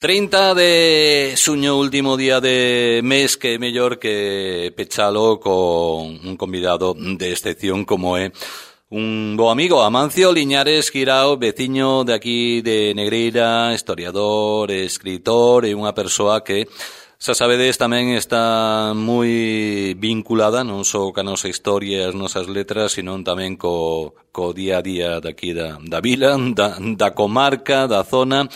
30 de xuño, último día de mes, que é mellor que pechalo con un convidado de excepción como é un bo amigo, Amancio Liñares Guirao, veciño de aquí de Negreira, historiador, escritor e unha persoa que, xa sabedes, tamén está moi vinculada non só ca nosa historia e as nosas letras, sino tamén co día a día daqui da vila, da comarca, da zona.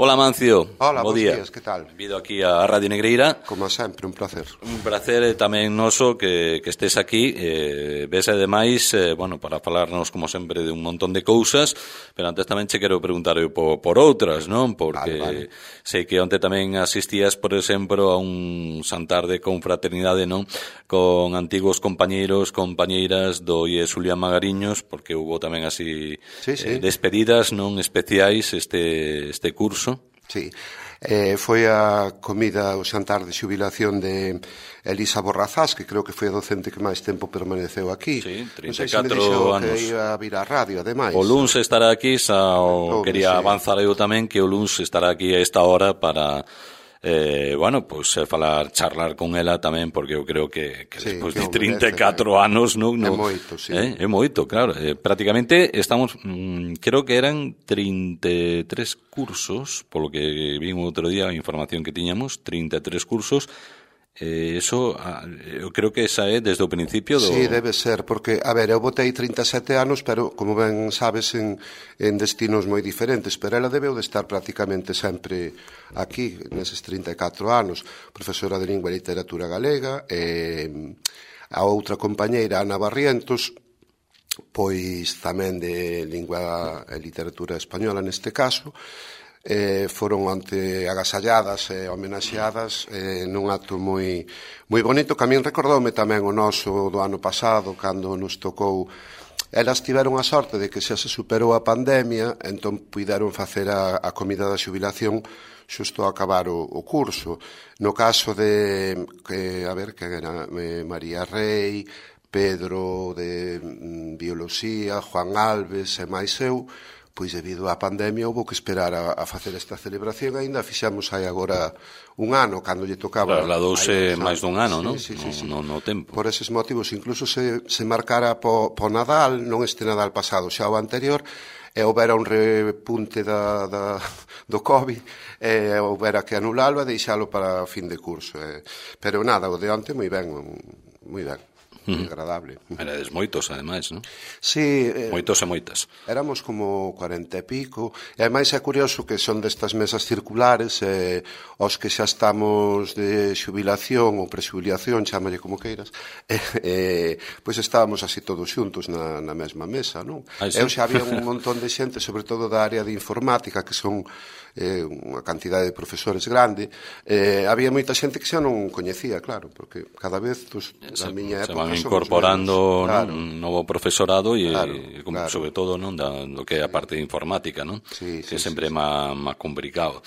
Hola, Amancio. Hola, bons días, que tal? Vido aquí a Radio Negreira. Como sempre, un placer. Un placer tamén noso que estés aquí. Ves ademais, para falarnos, como sempre, de un montón de cousas, pero antes tamén che quero preguntar por outras, non? Porque vale. Sei que onte tamén asistías, por exemplo, a un xantar de confraternidade, non? Con antigos compañeiros, compañeiras do IE Xulián Magariños, porque hubo tamén así despedidas non especiais este curso. Sí, foi a comida, o xantar de xubilación de Elisa Borrazás, que creo que foi a docente que máis tempo permaneceu aquí. Sí, 34 non sei se me dixo anos. Que ia a vir a radio, ademais. O luns estará aquí, quería avanzar eu tamén que o luns estará aquí a esta hora para... charlar con ela tamén, porque eu creo que despois de 34 anos non é moito, sí. É moito, claro. Prácticamente estamos, creo que eran 33 cursos, polo que vimos outro día a información que tiñamos, 33 cursos. Eso, eu creo que esa é desde o principio do... Sí, debe ser, porque, a ver, eu botei 37 anos, pero, como ben sabes, en destinos moi diferentes, pero ela debeu de estar prácticamente sempre aquí, neses 34 anos, profesora de Lingua e Literatura Galega, a outra compañeira, Ana Barrientos, pois tamén de Lingua e Literatura Española neste caso, foron onte agasalladas e homenaxeadas nun acto moi bonito, que a min recordoume tamén o noso do ano pasado, cando nos tocou. Elas tiveron a sorte de que xa se superou a pandemia, entón puideron facer a comida da xubilación xusto a acabar o curso. No caso de, que era María Rei, Pedro de Bioloxía, Juan Alves e máis eu, pois debido á pandemia houve que esperar a facer esta celebración. Ainda fixemos hai agora un ano, cando lle tocaba. Trasladouse máis dun ano, non? Sí. No tempo. Por eses motivos, incluso se marcara po Nadal, non este Nadal pasado, xa o anterior, e houbera un repunte do COVID, e houbera que anulalo e deixalo para fin de curso. Pero nada, o de onte moi ben, moi agradable. Erades moitos, ademais, non? Sí. Moitos e moitas. Éramos como 40 e pico, e ademais é curioso que son destas mesas circulares, os que xa estamos de xubilación ou prexubilación, chámalle como queiras, pois estábamos así todos xuntos na mesma mesa, non? Eu xa había un montón de xente, sobre todo da área de informática, que son unha cantidade de profesores grande, había moita xente que xa non coñecía, claro, porque cada vez, na miña época, incorporando un novo profesorado e sobre todo non do que é a parte de informática, non? Que sempre é máis complicado.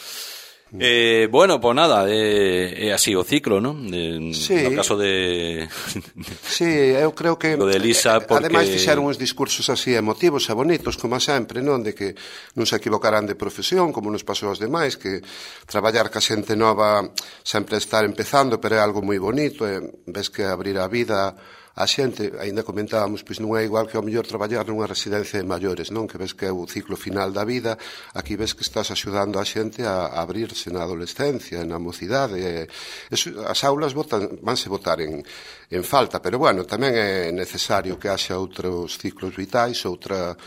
Nada, é así o ciclo, non? No caso de... Sí, eu creo que... O de Elisa, porque... Ademais, fixeron uns discursos así emotivos e bonitos, como sempre, non? De que non se equivocarán de profesión, como nos pasou aos demais, que traballar ca xente nova sempre estar empezando, pero é algo moi bonito, e ves que abrir a vida a xente, ainda comentábamos, pois non é igual que ao mellor traballar nunha residencia de maiores, non? Que ves que é o ciclo final da vida, aquí ves que estás axudando a xente a abrirse na adolescencia, na mocidade. As aulas vanse botar en falta, pero bueno, tamén é necesario que haxa outros ciclos vitais, outra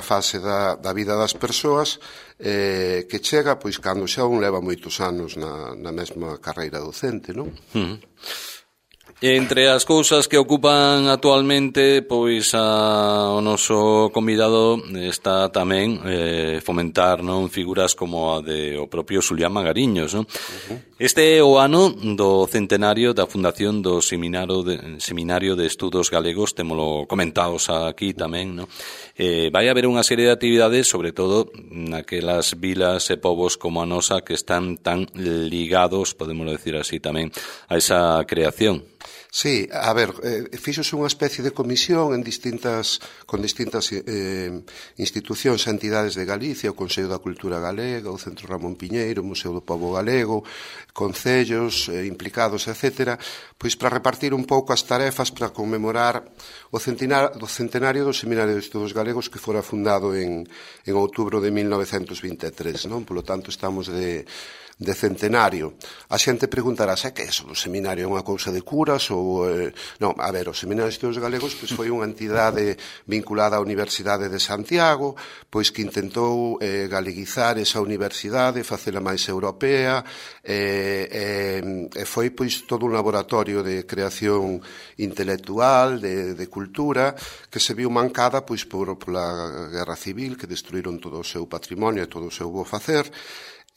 fase da vida das persoas que chega, pois, cando xa un leva moitos anos na mesma carreira docente, non? Entre as cousas que ocupan actualmente, pois o noso convidado está tamén fomentar, non, figuras como a de o propio Xulián Magariños, non? Este é o ano do centenario da fundación do Seminario de Estudos Galegos, témolo comentados aquí tamén, non? Vai haber unha serie de actividades, sobre todo naquelas vilas e povos como a nosa, que están tan ligados, podemos decir así tamén, a esa creación. Sí, a ver, fixose unha especie de comisión con distintas institucións e entidades de Galicia, o Consello da Cultura Galega, o Centro Ramón Piñeiro, o Museo do Pobo Galego, concellos implicados, etc., pois para repartir un pouco as tarefas para conmemorar o centenario do Seminario de Estudos Galegos que fora fundado en outubro de 1923, non? Polo tanto, estamos de centenario. A xente preguntará, que é eso? O seminario é unha cousa de curas ou... Non, a ver, o Seminario de Estudos Galegos pois foi unha entidade vinculada á Universidade de Santiago, pois que intentou galeguizar esa universidade, facela máis europea, e foi pois todo un laboratorio de creación intelectual, de cultura, que se viu mancada pois pola Guerra Civil, que destruíron todo o seu patrimonio e todo o seu bo facer.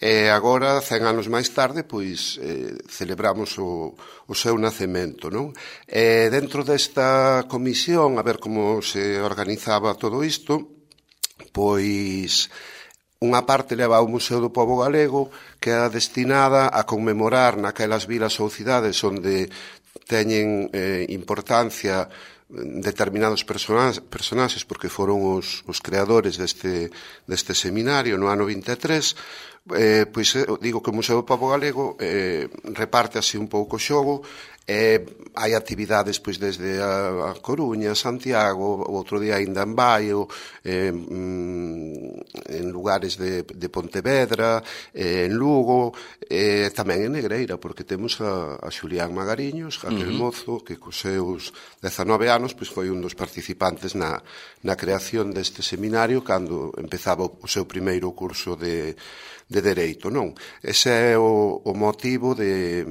E agora, 100 anos máis tarde, pois celebramos o seu nacemento, non? E dentro desta comisión, a ver como se organizaba todo isto, pois unha parte leva ao Museo do Pobo Galego, que é destinada a conmemorar naquelas vilas ou cidades onde teñen importancia determinados personaxes porque foron os creadores deste seminario no ano 23. Pois digo que o Museo do Pobo Galego reparte así un pouco o xogo. Hai actividades pois desde a Coruña, Santiago, o outro día ainda en Baio, en lugares de Pontevedra, en Lugo, tamén en Negreira, porque temos a Xulián Magariños, aquel mozo que cos seus 19 anos pois foi un dos participantes na creación deste seminario cando empezaba o seu primeiro curso de Dereito, non? Ese é o motivo de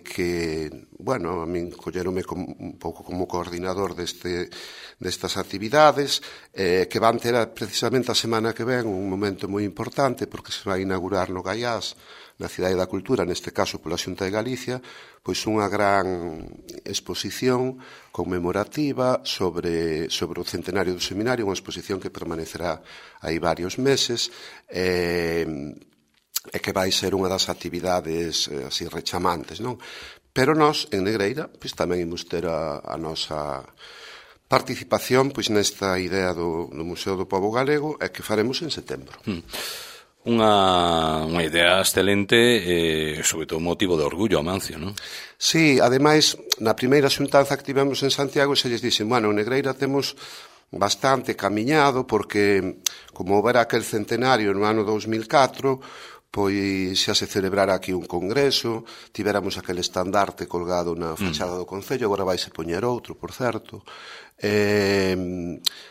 que, bueno, a min colleronme un pouco como coordinador destas actividades, que van ter precisamente a semana que ven un momento moi importante, porque se vai inaugurar no Gaiás, na Cidade da Cultura, neste caso pola Xunta de Galicia, pois unha gran exposición conmemorativa sobre o centenario do seminario, unha exposición que permanecerá aí varios meses, e que vai ser unha das actividades así rechamantes, non? Pero nós, en Negreira, pois tamén imos ter a nosa participación pois nesta idea do Museo do Pobo Galego e que faremos en setembro. Unha idea excelente e, sobre todo, motivo de orgullo, Amancio, non? Sí, ademais, na primeira xuntanza que tivemos en Santiago, se lles dixen, bueno, en Negreira temos bastante camiñado porque, como houbera aquel centenario no ano 2004, pois xa se celebrara aquí un congreso, tiveramos aquel estandarte colgado na fachada do Concello, agora vaise poñer outro, por certo,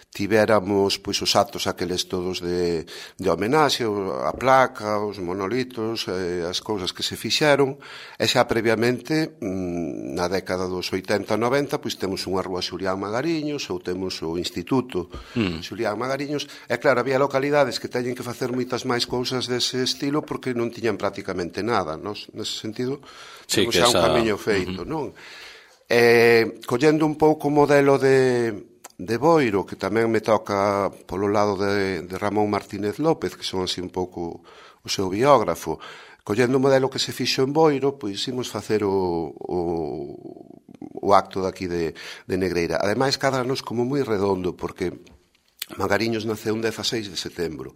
tivéramos pois os actos aqueles todos de homenaxe, a placa, os monolitos, as cousas que se fixeron, e xa previamente, na década dos 80-90, pois temos unha rúa Xulián Magariños, ou temos o Instituto Xulián Magariños, e claro, había localidades que teñen que facer moitas máis cousas dese estilo porque non tiñan prácticamente nada, nese sentido, temos xa un camiño feito, non? Collendo un pouco o modelo de Boiro, que tamén me toca polo lado de Ramón Martínez López, que son así un pouco o seu biógrafo, collendo o modelo que se fixo en Boiro, pois imos facer o acto daqui de Negreira. Ademais, cadranos como moi redondo, porque Magariños naceu un 16 de setembro.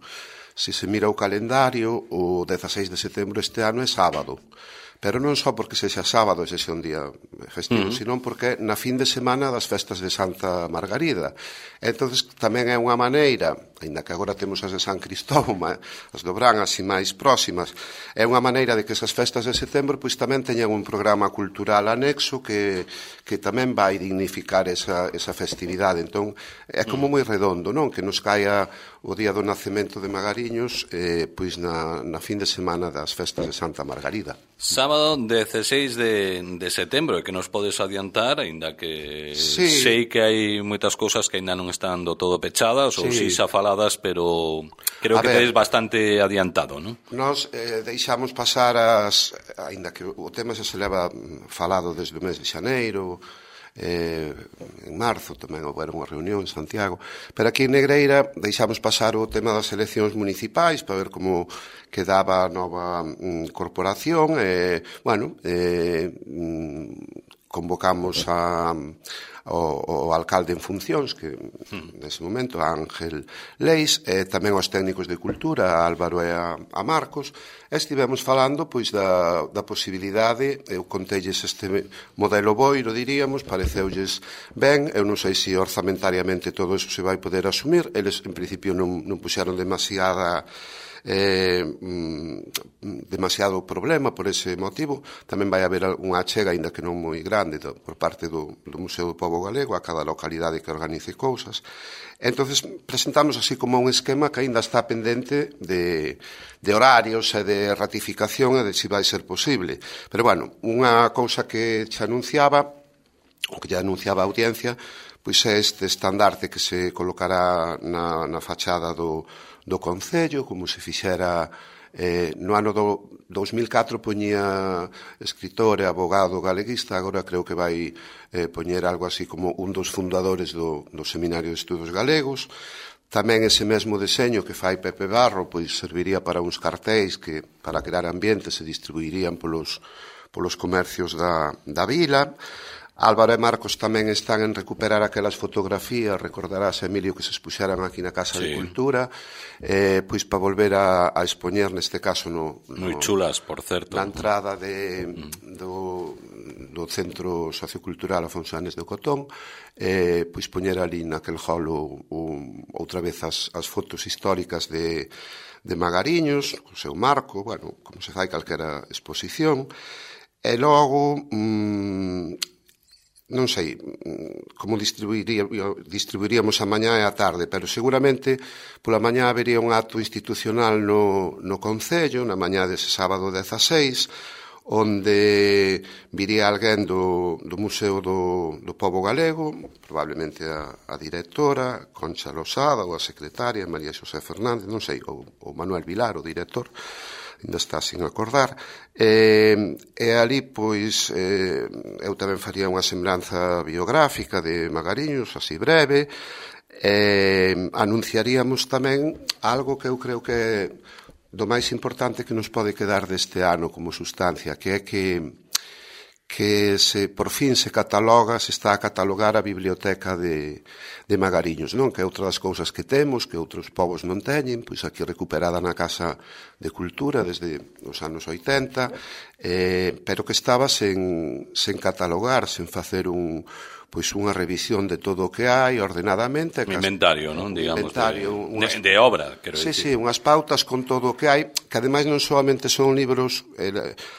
Se se mira o calendario, o 16 de setembro este ano é sábado. Pero non só porque sexa sábado e sexa un día festivo, senón porque na fin de semana das festas de Santa Margarida. Entonces tamén é unha maneira, aínda que agora temos as de San Cristóbal, as do Brán así máis próximas, é unha maneira de que esas festas de setembro pois tamén teñan un programa cultural anexo que tamén vai dignificar esa festividade. Entón é como moi redondo, non? Que nos caia o día do nacemento de Magariños pois na fin de semana das festas de Santa Margarida. Sábado 16 de setembro, que nos podes adiantar, aínda que sei que hai moitas cousas que aínda non están do todo pechadas ou si xa faladas, pero creo que tedes bastante adiantado, non? Nos deixamos pasar aínda que o tema xa se leva falado desde o mes de xaneiro, en marzo tamén houve unha reunión en Santiago, pero aquí en Negreira deixamos pasar o tema das eleccións municipais para ver como quedaba a nova corporación, convocamos ao alcalde en funcións, que nese momento Ángel Leis, e tamén aos técnicos de cultura, a Álvaro e a Marcos, e estivemos falando pois da posibilidade, eu contelles este modelo boiro, diríamos, pareceulles ben, eu non sei se orzamentariamente todo eso se vai poder asumir, eles en principio non puxeron demasiado problema por ese motivo. Tamén vai haber unha achega, aínda que non moi grande, por parte do Museo do Pobo Galego a cada localidade que organice cousas. Entonces presentamos así como un esquema que aínda está pendente de horarios e de ratificación e de se vai ser posible. Pero, bueno, unha cousa que xa anunciaba, o que já anunciaba a audiencia, pois é este estandarte que se colocará na fachada do Concello, como se fixera no ano do 2004 poñía escritor e abogado galeguista, agora creo que vai poñer algo así como un dos fundadores do Seminario de Estudos Galegos. Tamén ese mesmo deseño que fai Pepe Barro pois serviría para uns cartéis que para crear ambiente se distribuirían polos comercios da vila. Álvaro e Marcos tamén están en recuperar aquelas fotografías, recordarás, Emilio, que se expuxeran aquí na Casa de Cultura, pois para volver a expoñer, neste caso, moi chulas, por certo, na entrada do Centro Sociocultural Afonso Anes de Cotón, pois poñer ali naquel hall outra vez as fotos históricas de Magariños, o seu marco, bueno, como se fai calquera exposición, e logo non sei como distribuiríamos a mañá e a tarde, pero seguramente pola mañá habería un acto institucional no Concello, na mañá dese sábado 16, onde viría alguén do Museo do Pobo Galego, probablemente a directora, Concha Losada, ou a secretaria, María Xosé Fernández, non sei, ou Manuel Vilar, o director, ainda está sin acordar, e ali, pois, eu tamén faría unha semblanza biográfica de Magariños, así breve, anunciaríamos tamén algo que eu creo que é do máis importante que nos pode quedar deste ano como sustancia, que é que por fin se está a catalogar a biblioteca de Magariños, non? Que é outra das cousas que temos, que outros povos non teñen, pois aquí recuperada na Casa de Cultura desde os anos 80, pero que estaba sen catalogar, sen facer unha revisión de todo o que hai ordenadamente. Un inventario, non? Digamos, de obra, quero dicir. Sí, unhas pautas con todo o que hai, que ademais non solamente son libros,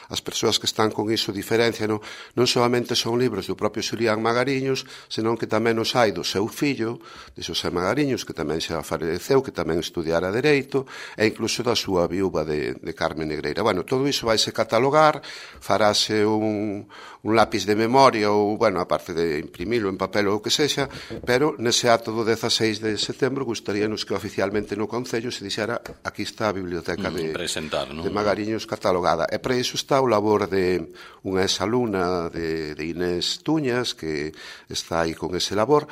as persoas que están con iso diferencian, non solamente son libros do propio Xulián Magariños, senón que tamén os hai do seu fillo, de Xosé Magariños, que tamén xa faleceu, que tamén estudiara Dereito, e incluso da súa viúva de Carmen Negreira. Bueno, todo iso vaise catalogar, farase un lápiz de memoria ou, bueno, aparte de imprimilo en papel ou o que sexa, pero nese acto do 16 de setembro gustaríanos que oficialmente no Concello se dixera aquí está a biblioteca de Magariños catalogada. E para iso está o labor de unha exalumna de Inés Tuñas, que está aí con ese labor,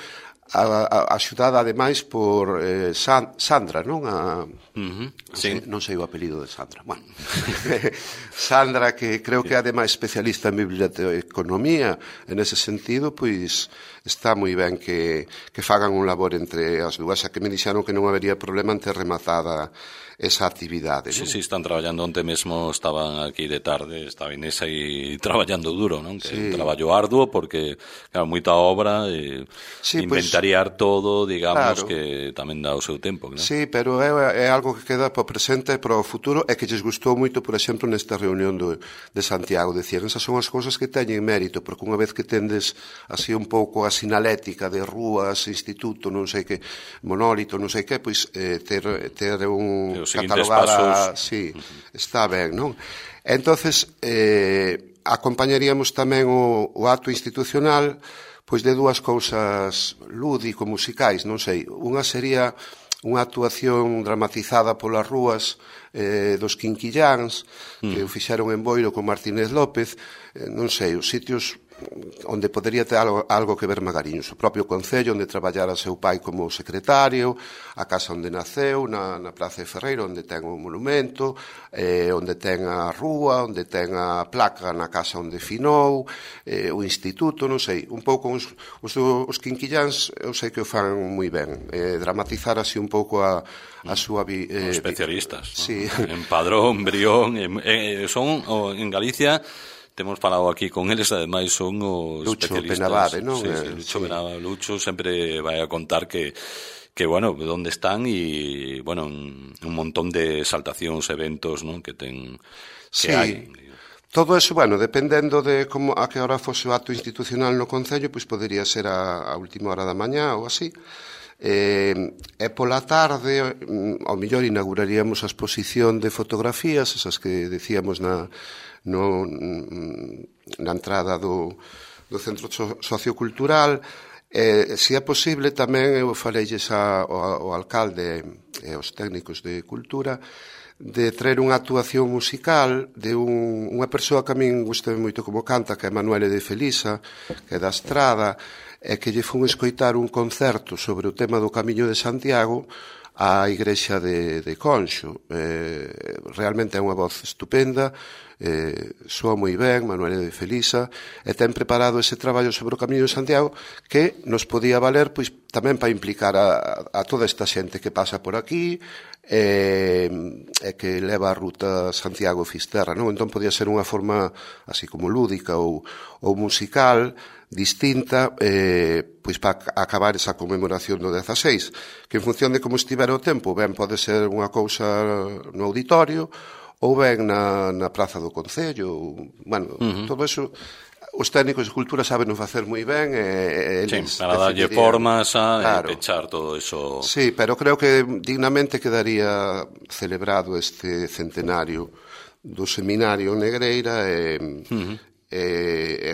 axudada ademais por Sandra, non? Non sei o apelido de Sandra. Bueno, Sandra, que creo que é ademais especialista en biblioteconomía, en ese sentido, pois está moi ben que fagan un labor entre as dúas, xa que me dixeron que non habería problema en ter rematada esa actividade. Sí, están traballando onte mesmo, estaban aquí de tarde, estaba Inés aí traballando duro, non? Que é un traballo arduo, porque, claro, moita obra, inventariar todo, digamos, que tamén dá o seu tempo, non? Sí, pero é algo que queda para o presente e para o futuro, e que lles gustou moito, por exemplo, nesta reunión de Santiago, decían, esas son as cousas que teñen mérito, porque unha vez que tendes así un pouco a sinalética de rúas, instituto, non sei que, monólito, non sei que, pois ter un catalogada, sí, está ben, non? Entonces, acompañaríamos tamén o acto institucional pois de dúas cousas lúdico-musicais, non sei. Unha sería unha actuación dramatizada polas rúas dos Quinquilláns, que o fixeron en Boiro con Martínez López, non sei, os sitios onde podería ter algo que ver Magariños. O propio Concello, onde traballara seu pai como secretario, a casa onde naceu, na Praza de Ferreiro, onde ten o monumento, onde ten a rúa, onde ten a placa na casa onde finou, o instituto, non sei, un pouco os quinquilláns, eu sei que o fan moi ben, dramatizar así un pouco a súa especialistas, sí. En Padrón, Brión, son en Galicia. Temos falado aquí con eles, ademais son os Lucho especialistas. Penabade, non? Sí, Lucho Penabade. Lucho sempre vai a contar que bueno, onde están e, bueno, un montón de exaltacións, eventos, non? Que ten, que hai. Todo eso, bueno, dependendo de como a que hora fose o acto institucional no Concello, pois podería ser a última hora da mañá ou así. E pola tarde, ao mellor inauguraríamos a exposición de fotografías, esas que decíamos na entrada do Centro Sociocultural. Se é posible, tamén eu faleilles ao alcalde e aos técnicos de cultura de traer unha actuación musical de unha persoa que a min gusta moito como canta, que é Manuele de Felisa, que é da Estrada, e que lle fun escoitar un concerto sobre o tema do Camiño de Santiago á igrexa de Conxo. Realmente é unha voz estupenda, soa moi ben, Manuel de Felisa, e ten preparado ese traballo sobre o Camiño de Santiago que nos podía valer pois tamén para implicar a toda esta xente que pasa por aquí e que leva a ruta Santiago-Fisterra, non? Entón podía ser unha forma así como lúdica ou musical distinta, pois para acabar esa conmemoración do 16, que en función de como estivera o tempo, ben pode ser unha cousa no auditorio ou ben na Praza do Concello. Bueno, todo eso os técnicos de cultura saben facer moi ben e para darlle formas e pechar todo eso. Sí, pero creo que dignamente quedaría celebrado este centenario do seminario Negreira e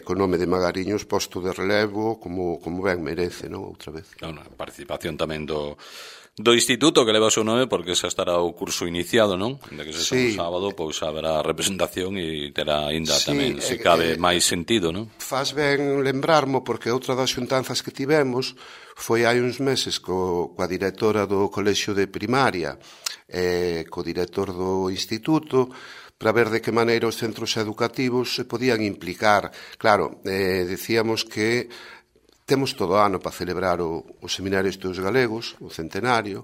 co nome de Magariños posto de relevo como ben merece, non? Outra vez. Claro, a participación tamén do instituto que leva o seu nome porque xa estará o curso iniciado, non? Ainda que sexa un sábado, pois haberá representación e terá ainda tamén, se cabe, máis sentido, non? Faz ben lembrarmo porque outra das xuntanzas que tivemos foi hai uns meses coa directora do colexio de primaria e co director do instituto para ver de que maneira os centros educativos se podían implicar. Claro, decíamos que temos todo o ano para celebrar o Seminario de Estudos Galegos, o centenario,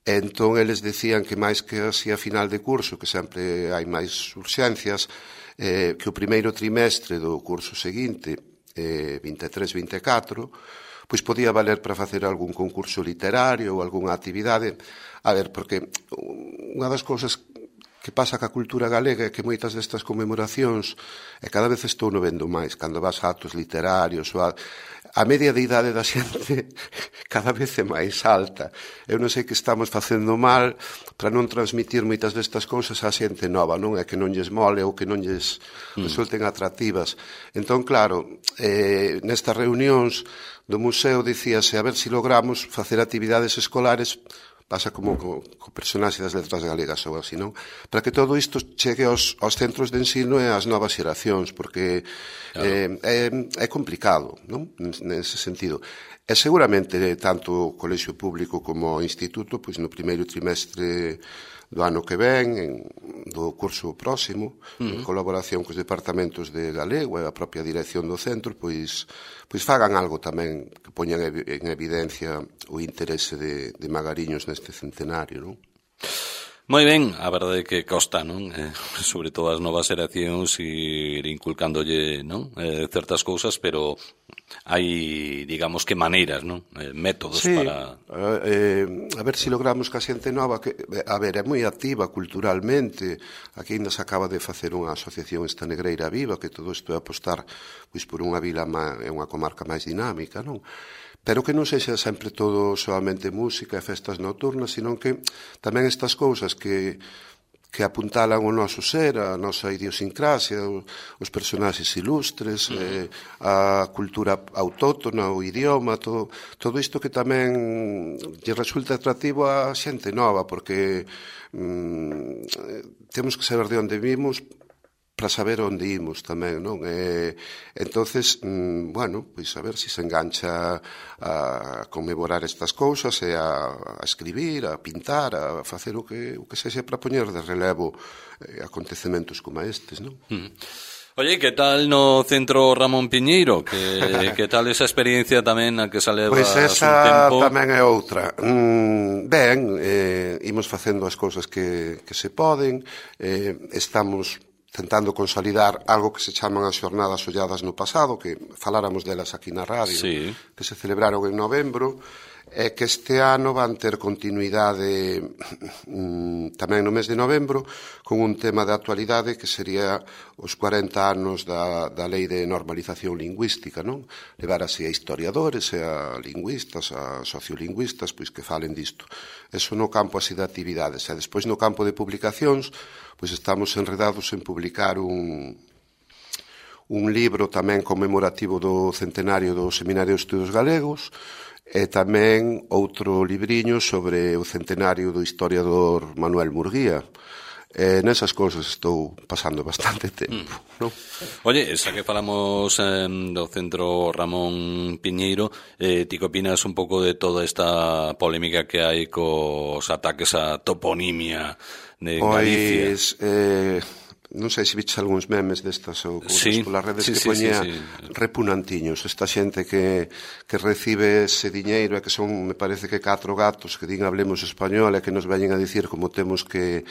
e entón eles decían que máis que así a final de curso, que sempre hai máis urxencias, que o primeiro trimestre do curso seguinte, 23-24, pois podía valer para facer algún concurso literario ou algunha actividade. A ver, porque unha das cousas que pasa ca cultura galega é que moitas destas conmemoracións, e cada vez estou no vendo máis, cando vas a actos literarios, a media de idade da xente cada vez é máis alta. Eu non sei que estamos facendo mal para non transmitir moitas destas cousas á xente nova, non? É que non lles mole ou que non lles resulten atractivas. Entón, claro, nestas reunións do museo dicíase a ver se logramos facer actividades escolares, pasa como co personaxe das letras galegas ou así, non? Para que todo isto chegue aos centros de ensino e ás novas xeracións, porque é complicado, non? Nese sentido. E seguramente tanto o colexio público como o instituto, pois no primeiro trimestre do ano que ven, do curso próximo, en colaboración cos departamentos de galego e a propia dirección do centro, pois fagan algo tamén que poñan en evidencia o interese de Magariños neste centenario, non? Moi ben, a verdade é que costa, non? Sobre todo as novas xeracións ir inculcándolle, non? Certas cousas, pero hai, digamos que maneiras, non? Métodos para... a ver se logramos que a xente nova, que, a ver, é moi activa culturalmente, aquí ainda se acaba de facer unha asociación esta Negreira Viva, que todo isto é apostar pois por unha vila e unha comarca máis dinámica, non? Pero que non sexa sempre todo solamente música e festas nocturnas, sino que tamén estas cousas que apuntalan o noso ser, a nosa idiosincrasia, os personaxes ilustres, a cultura autóctona, o idioma, todo isto que tamén lle resulta atractivo a xente nova, porque temos que saber de onde vimos para saber onde imos tamén, non? Entonces, bueno, pois a ver se se engancha a conmemorar estas cousas e a escribir, a pintar, a facer o que sexa para poñer de relevo acontecementos como estes, non? Oye, que tal no Centro Ramón Piñeiro? Que tal esa experiencia tamén a que salevas un tempo? Pois esa tamén é outra. Ben, imos facendo as cousas que se poden, estamos tentando consolidar algo que se chaman as xornadas olladas no pasado, que faláramos delas aquí na radio, sí, que se celebraron en novembro, e que este ano van ter continuidade tamén no mes de novembro con un tema de actualidade que sería os 40 anos da Lei de Normalización Lingüística, non? Levar así a historiadores e a lingüistas, a sociolingüistas, pois que falen disto. Eso no campo así de actividades. E despois no campo de publicacións, pois estamos enredados en publicar un libro tamén conmemorativo do centenario do Seminario de Estudos Galegos e tamén outro libriño sobre o centenario do historiador Manuel Murguía. Nesas cousas estou pasando bastante tempo, non? Oye, xa que falamos do Centro Ramón Piñeiro, ti que opinas un pouco de toda esta polémica que hai cos ataques á toponimia de Galicia? Pois, non sei se viches algúns memes destas ou cousas polas redes que poñía repunantiños, esta xente que recibe ese diñeiro e que son, me parece que 4 gatos que din hablemos español e que nos veñen a dicir como temos que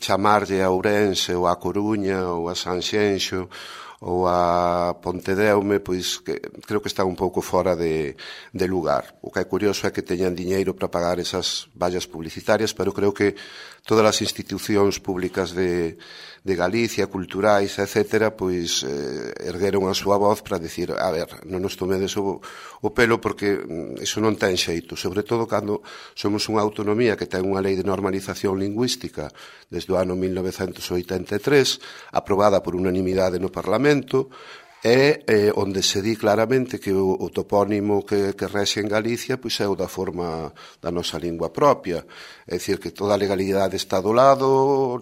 chamarlle a Ourense ou a Coruña ou a Sanxenxo ou a Pontedeume, pois que creo que está un pouco fora de lugar. O que é curioso é que teñan diñeiro para pagar esas vallas publicitarias, pero creo que todas as institucións públicas de Galicia, culturais, etc., pois ergueron a súa voz para dicir, a ver, non nos tomedes o pelo porque iso non ten xeito, sobre todo cando somos unha autonomía que ten unha lei de normalización lingüística desde o ano 1983, aprobada por unanimidade no Parlamento, é onde se di claramente que o topónimo que rexe en Galicia pois é o da forma da nosa lingua propia. É dicir, que toda a legalidade está do lado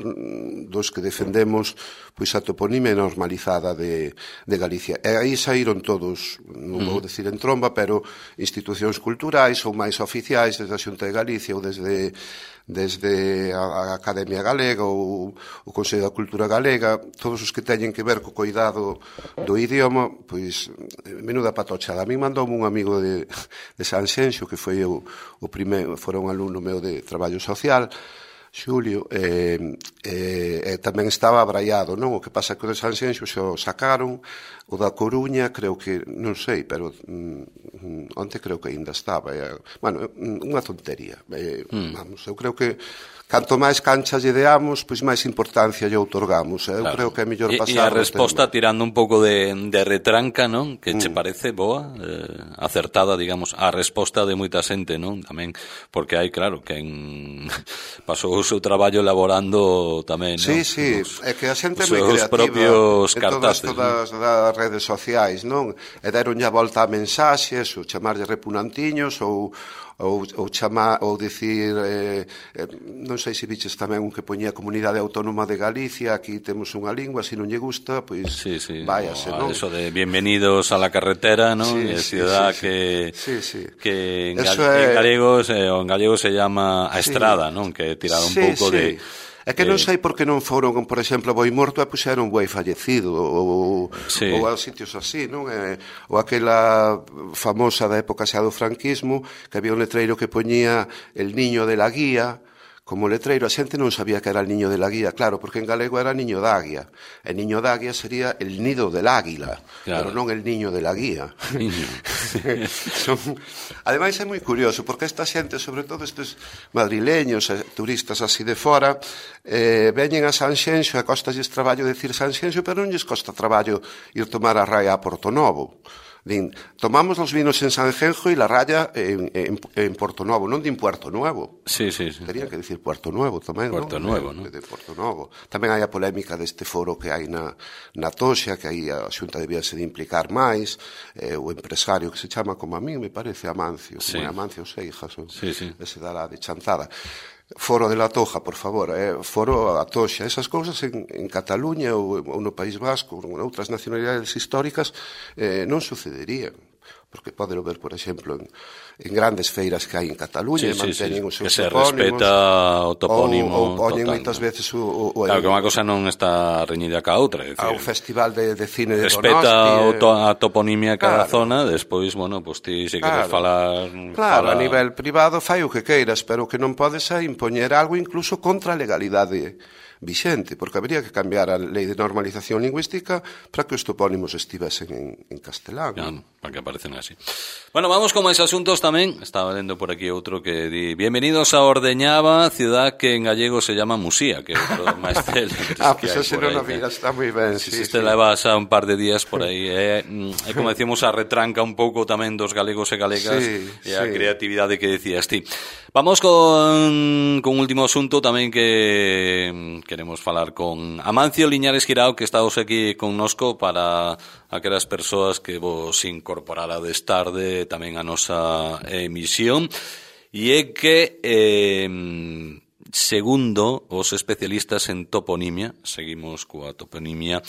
dos que defendemos pois a toponimia normalizada de Galicia. E aí saíron todos, non vou decir en tromba, pero institucións culturais ou máis oficiais desde a Xunta de Galicia ou desde a Academia Galega ou o Consello da Cultura Galega, todos os que teñen que ver co cuidado do idioma, pois, menuda patochada. A mí mandoume un amigo de Sanxenxo, que foi o primeiro, fora un alumno meu de traballo social, Xulio, tamén estaba abraiado, non? O que pasa que o de Sanxenxo xa o sacaron, o da Coruña creo que, non sei, pero onte creo que ainda estaba. Bueno, unha tontería. Vamos, eu creo que canto máis cancha lle deamos, pois máis importancia lle outorgamos. Eu creo que é mellor pasar... E a resposta, tirando un pouco de retranca, non? Que che parece boa, acertada, digamos, a resposta de moita xente, non? Tamén, porque hai, claro, que pasou o seu traballo elaborando tamén, non? Sí, é que a xente é moi creativa. Os propios cartaces. Todas das redes sociais, non? E deronlle a volta a mensaxes, ou chamarlle repunantiños, ou chamar, ou dicir, non sei se viches tamén un que poñía Comunidade Autónoma de Galicia, aquí temos unha lingua, se non lle gusta, pois váyase, non? Eso de bienvenidos a la carretera, non? Ciudad que en gallego se llama a estrada, non? Que tirado un pouco de... É que non sei por que non foron, por exemplo, a Boimorto e puxeron Boi fallecido ou a sitios así, non? Ou aquela famosa da época xa do franquismo, que había un letreiro que poñía el niño de la guía como letreiro. A xente non sabía que era el niño de la guía, claro, porque en galego era niño da águia. El niño da águia sería el nido del águila, pero non el niño de la guía. Ademais é moi curioso, porque esta xente, sobre todo estes madrileños, turistas así de fora, veñen a Sanxenxo e costalles traballo decir Sanxenxo, pero non lles costa traballo ir tomar a raia a Portonovo. Din, tomamos os vinos en Sanxenxo e la raya en Porto Novo, non din Puerto Nuevo. Sí. Terían que dicir Puerto Nuevo tamén, Puerto Nuevo, non? De Porto Novo. Tamén hai a polémica deste foro que hai na Toxa, que aí a Xunta debíase de implicar máis, o empresario que se chama como a mí, me parece Amancio, como é Amancio Seijas, ese da la de Chantada. Foro de la Toja, por favor, Foro a Toxa. Esas cousas en Cataluña ou no País Vasco, ou en outras nacionalidades históricas, non sucederían. Porque podelo ver, por exemplo, en grandes feiras que hai en Cataluña, manteñen os seus topónimos. Que se respeta o topónimo. Ou poñen moitas veces claro, que unha cosa non está reñida ca outra. O Festival de Cine de Donosti. Respeta a toponimia cada zona, despois, bueno, pues ti se queres falar... Claro, a nivel privado fai o que queiras, pero que non podes impoñer algo incluso contra a legalidade vixente, porque habría que cambiar a lei de normalización lingüística para que os topónimos estivesen en castelán. Claro, para que aparecen así. Bueno, vamos con máis asuntos tamén. Estaba lendo por aquí outro que di: bienvenidos a Ordeñava, ciudad que en gallego se llama Musía, que é outro máis célebres. Pois ese non o vira, está moi ben. Si te levas a un par de días por aí. É como decíamos, a retranca un pouco tamén dos galegos e galegas e a creatividade que decías ti. Vamos con un último asunto tamén que queremos falar con Amancio Liñares Guirao, que está aquí connosco para aquelas persoas que vos incorporarades tarde tamén a nosa emisión. E é que, segundo os especialistas en toponimia, seguimos coa toponimia,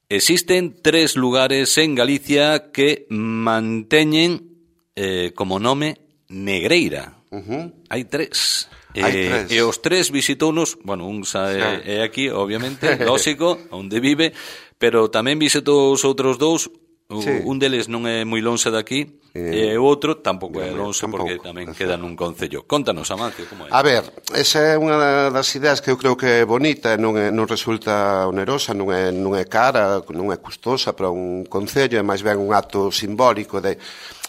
existen 3 lugares en Galicia que manteñen como nome Negreira. Hai 3. E os 3 visitounos, bueno, un é aquí, obviamente, lógico, onde vive, pero tamén visitou os outros 2, un deles non é moi lonxe daqui, e o outro tampouco é lonxe porque tamén queda nun concello. Contanos, Amancio, como é? A ver, esa é unha das ideas que eu creo que é bonita, non resulta onerosa, non é cara, non é custosa para un concello, é máis ben un acto simbólico de...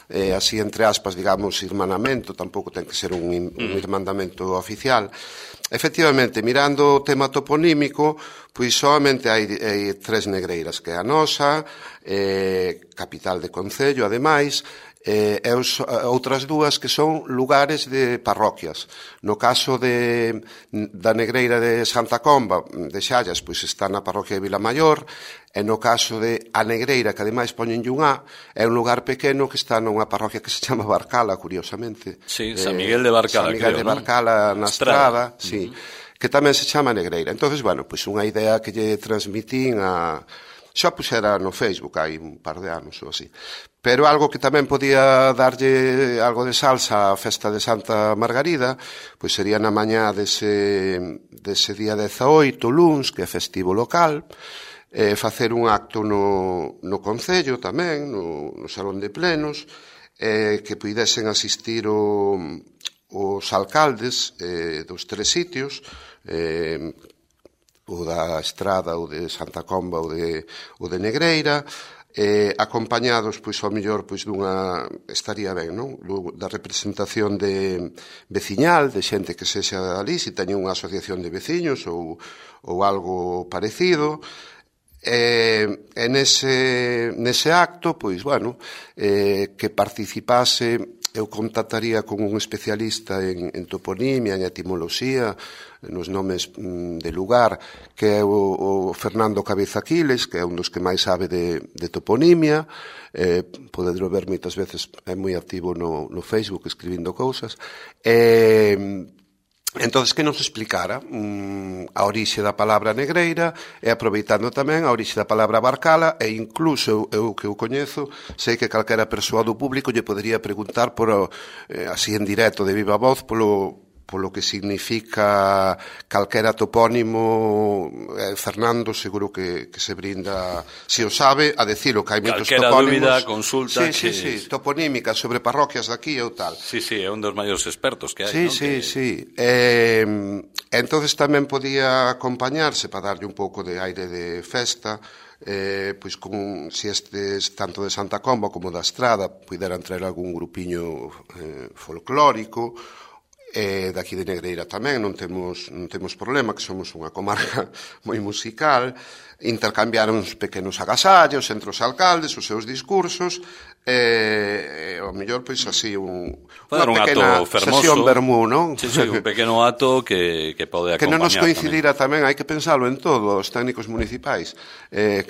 así entre aspas, digamos, irmanamento, tampouco ten que ser un irmandamento oficial. Efectivamente, mirando o tema toponímico, pois solamente hai 3 negreiras, que é a nosa, capital de concello, ademais, e outras 2 que son lugares de parroquias. No caso da negreira de Santa Comba, de Xallas, pois está na parroquia de Vilamaior, e no caso de a negreira, que ademais poñenlle un A, é un lugar pequeno que está nunha parroquia que se chama Barcala, curiosamente. Sí, San Miguel de Barcala, San Miguel de Barcala, na Estrada, sí, que tamén se chama negreira. Entonces, bueno, pois unha idea que lle transmitín a... Xa puxera no Facebook hai un par de anos ou así. Pero algo que tamén podía darlle algo de salsa á festa de Santa Margarida, pois sería na mañá dese día 18, luns, que é festivo local, facer un acto no concello tamén, no salón de plenos, que puidesen asistir os alcaldes dos 3 sitios, o da Estrada, o de Santa Comba, o de Negreira, acompañados, pois, ao mellor, pois, estaría ben, non? Da representación de veciñal, de xente que sexa ali, se teñen unha asociación de veciños ou algo parecido, e nese acto, pois, bueno, que participase... Eu contactaría con un especialista en toponimia, en etimoloxía, nos nomes de lugar, que é o Fernando Cabeza Quiles, que é un dos que máis sabe de toponimia, podedelo ver moitas veces, é moi activo no Facebook escribindo cousas, entonces que nos explicara a orixe da palabra negreira e aproveitando tamén a orixe da palabra barcala e incluso eu que o coñezo sei que calquera persoa do público lle podería preguntar por así en directo de viva voz polo que significa calquera topónimo. Fernando seguro que se brinda, se o sabe, a decirlo, que hai moitos topónimos. Calquera dúbida, consulta. Sí, toponímica sobre parroquias daqui ou tal. Sí, é un dos maiores expertos que hai. Sí. Entonces tamén podía acompañarse para darlle un pouco de aire de festa, pois con si estes tanto de Santa Comba como da Estrada puderan traer algún grupiño folclórico. Daqui de Negreira tamén non temos problema, que somos unha comarca moi musical, intercambiaron uns pequenos agasallos entre os alcaldes, os seus discursos, ao mellor, pois, así, unha pequena sesión vermú, non? Sí, un pequeno ato que pode acompañar. Que non nos coincidira tamén, hai que pensalo en todo, os técnicos municipais.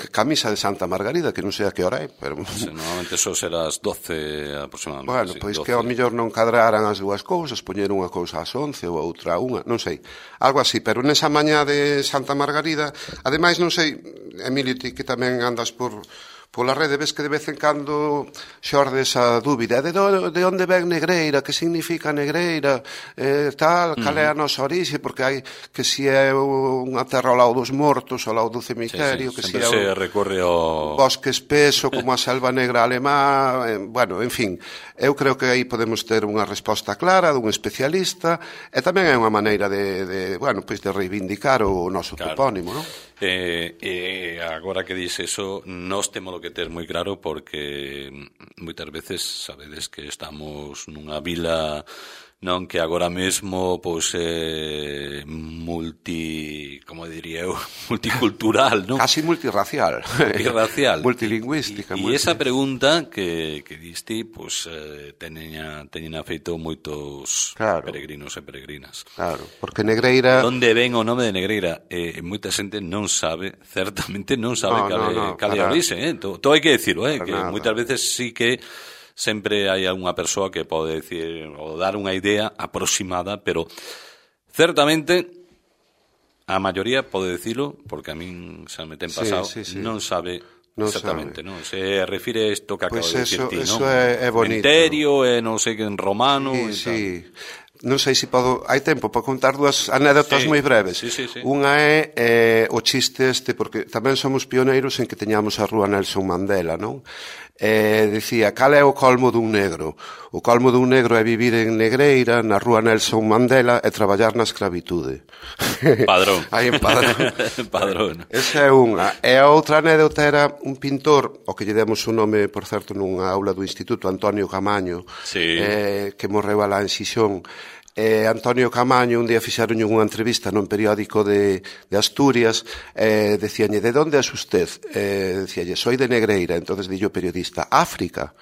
Camisa de Santa Margarida, que non sei a que hora é, pero... Normalmente eso será as 12 aproximadamente. Bueno, pois que ao mellor non cadraran as dúas cousas, poñer unha cousa ás 11 ou outra a unha, non sei, algo así, pero nesa mañá de Santa Margarida, ademais, non sei, Emilio, ti que tamén andas pola rede, ves que de vez en cando xorde esa dúbida de onde ven Negreira, que significa Negreira, tal, cal é a nosa orixe, porque hai que si é unha terra ao lado dos mortos, ao lado do cemiterio, que si é se recorre ao bosque espeso como a selva negra alemá, bueno, en fin, eu creo que aí podemos ter unha resposta clara dun especialista, e tamén é unha maneira de reivindicar o noso topónimo, non? Agora que dices eso, nós temos que ter moi claro, porque moitas veces sabedes que estamos nunha vila, non, que agora mesmo pois como diría eu, multicultural, non? Casi multirracial. Multilingüística. E esa pregunta que diste, pois teñen feito moitos peregrinos e peregrinas. Claro, porque Negreira... Onde ven o nome de Negreira? Moita xente non sabe, certamente non sabe cal é a orixe, todo hai que decirlo, que moitas veces sí que sempre hai algunha persoa que pode decir ou dar unha idea aproximada, pero certamente a maioría pode decirlo, porque a min xa me ten pasado, non sabe exactamente, non? Se refire a isto que acabo de dicirti, non? Eso é bonito. Cementerio, non sei que en romano e tal. Non sei se podo... Hai tempo para contar dúas anécdotas moi breves. Unha é o chiste este, porque tamén somos pioneiros en que teñamos a rúa Nelson Mandela, non? Dicía, cal é o colmo dun negro? O colmo dun negro é vivir en Negreira, na rúa Nelson Mandela, e traballar na escravitude. Padrón. Aí en Padrón. Padrón. Esa é unha. E a outra anécdota era un pintor, ao que lle demos un nome, por certo, nunha aula do Instituto, Antonio Camaño, que morreu alá en Xixón. Antonio Camaño, un día fixaron unha entrevista nun periódico de Asturias, decíalle, de onde é usted? Decíalle, soy de Negreira. Entonces dillo o periodista, África.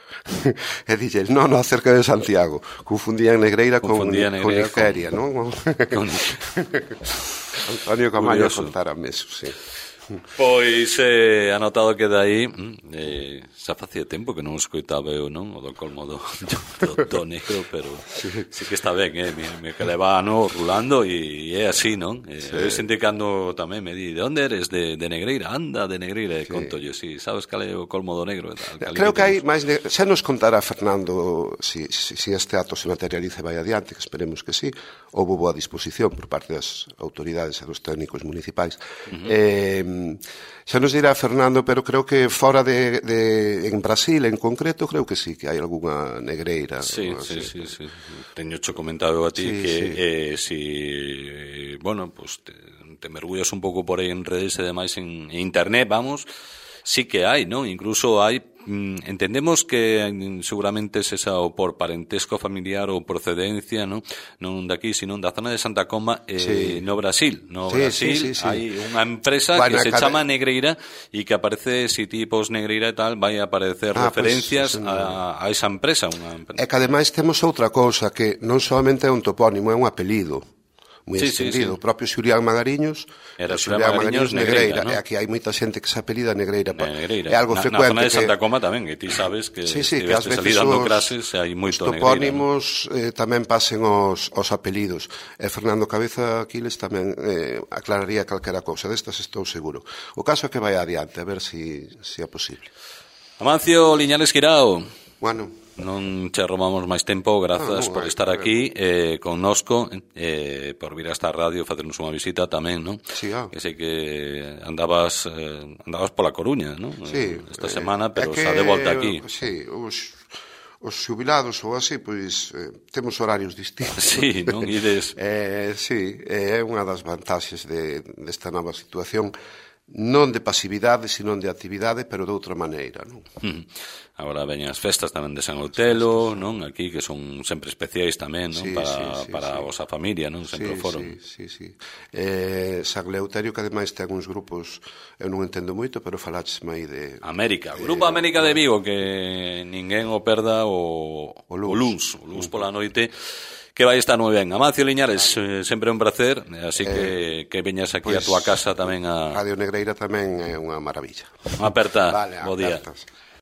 E dille, non, cerca de Santiago. Confundían Negreira con Nigeria, non? Antonio Camaño contárame eso, sí. Pois anotado que dai xa facía tempo que non escoitaba eu, non, o do colmo do negro, pero sí que está ben, me que leva ano rulando e é así, non? Eu sente cando tamén me di, de onde eres? De Negreira, anda de Negreira, e conto yo, si sabes cal é o colmo do negro. Creo que hai máis, xa nos contará Fernando si este acto se materializa e vai adiante, que esperemos que sí, houve boa disposición por parte das autoridades e dos técnicos municipais. Xa nos dirá Fernando, pero creo que fora en Brasil en concreto, creo que sí, que hai algunha negreira. Sí. Teño cho comentado a ti que si, bueno, pues te mergullas un pouco por aí en redes e demais en internet, vamos, sí que hai, non? Incluso hai, entendemos que seguramente es esa o por parentesco familiar ou procedencia, non daqui, sino da zona de Santa Comba, no Brasil. Hai unha empresa que se chama Negreira e que aparece, si tipos Negreira e tal, vai a aparecer referencias a esa empresa. É que ademais temos outra cousa, que non solamente é un topónimo, é un apelido moi extendido. O propio Xulián Magariños era Xulián Magariños Negreira, e aquí hai moita xente que se apelida Negreira. É algo frecuente. Na zona de Santa Coma tamén, e ti sabes que estiveste salido dando clases, hai moito Negreira. Os topónimos tamén pasen os apelidos. E Fernando Cabeza Aquiles tamén aclararía calquera cousa destas, estou seguro. O caso é que vai adiante, a ver se é posible. Amancio Liñares Guirao. Bueno, non che robamos máis tempo, grazas por estar aquí connosco, por vir a esta radio, facernos unha visita tamén, non? Sí, que sei que andabas pola Coruña, non? Sí, esta semana, pero xa de volta aquí. Sí, os xubilados ou así, pois temos horarios distintos. Sí, non? Ides... Sí, é unha das vantaxes desta nova situación, non de pasividade, sino de actividade, pero de outra maneira, non? Agora veñen as festas tamén de San Outelo, non? Aquí, que son sempre especiais tamén, non? Para a vosa familia, non? Sempre o foron. Sí. San Leuterio, que ademais ten uns grupos, eu non entendo moito, pero falaches aí de... América, Grupo América de Vigo, que ninguén o perda o luns pola noite, que vai estar moi ben. Amancio Liñares, sempre un placer, así que veñas aquí a túa casa tamén a... Radio Negreira tamén é unha maravilla. Aperta, bo día.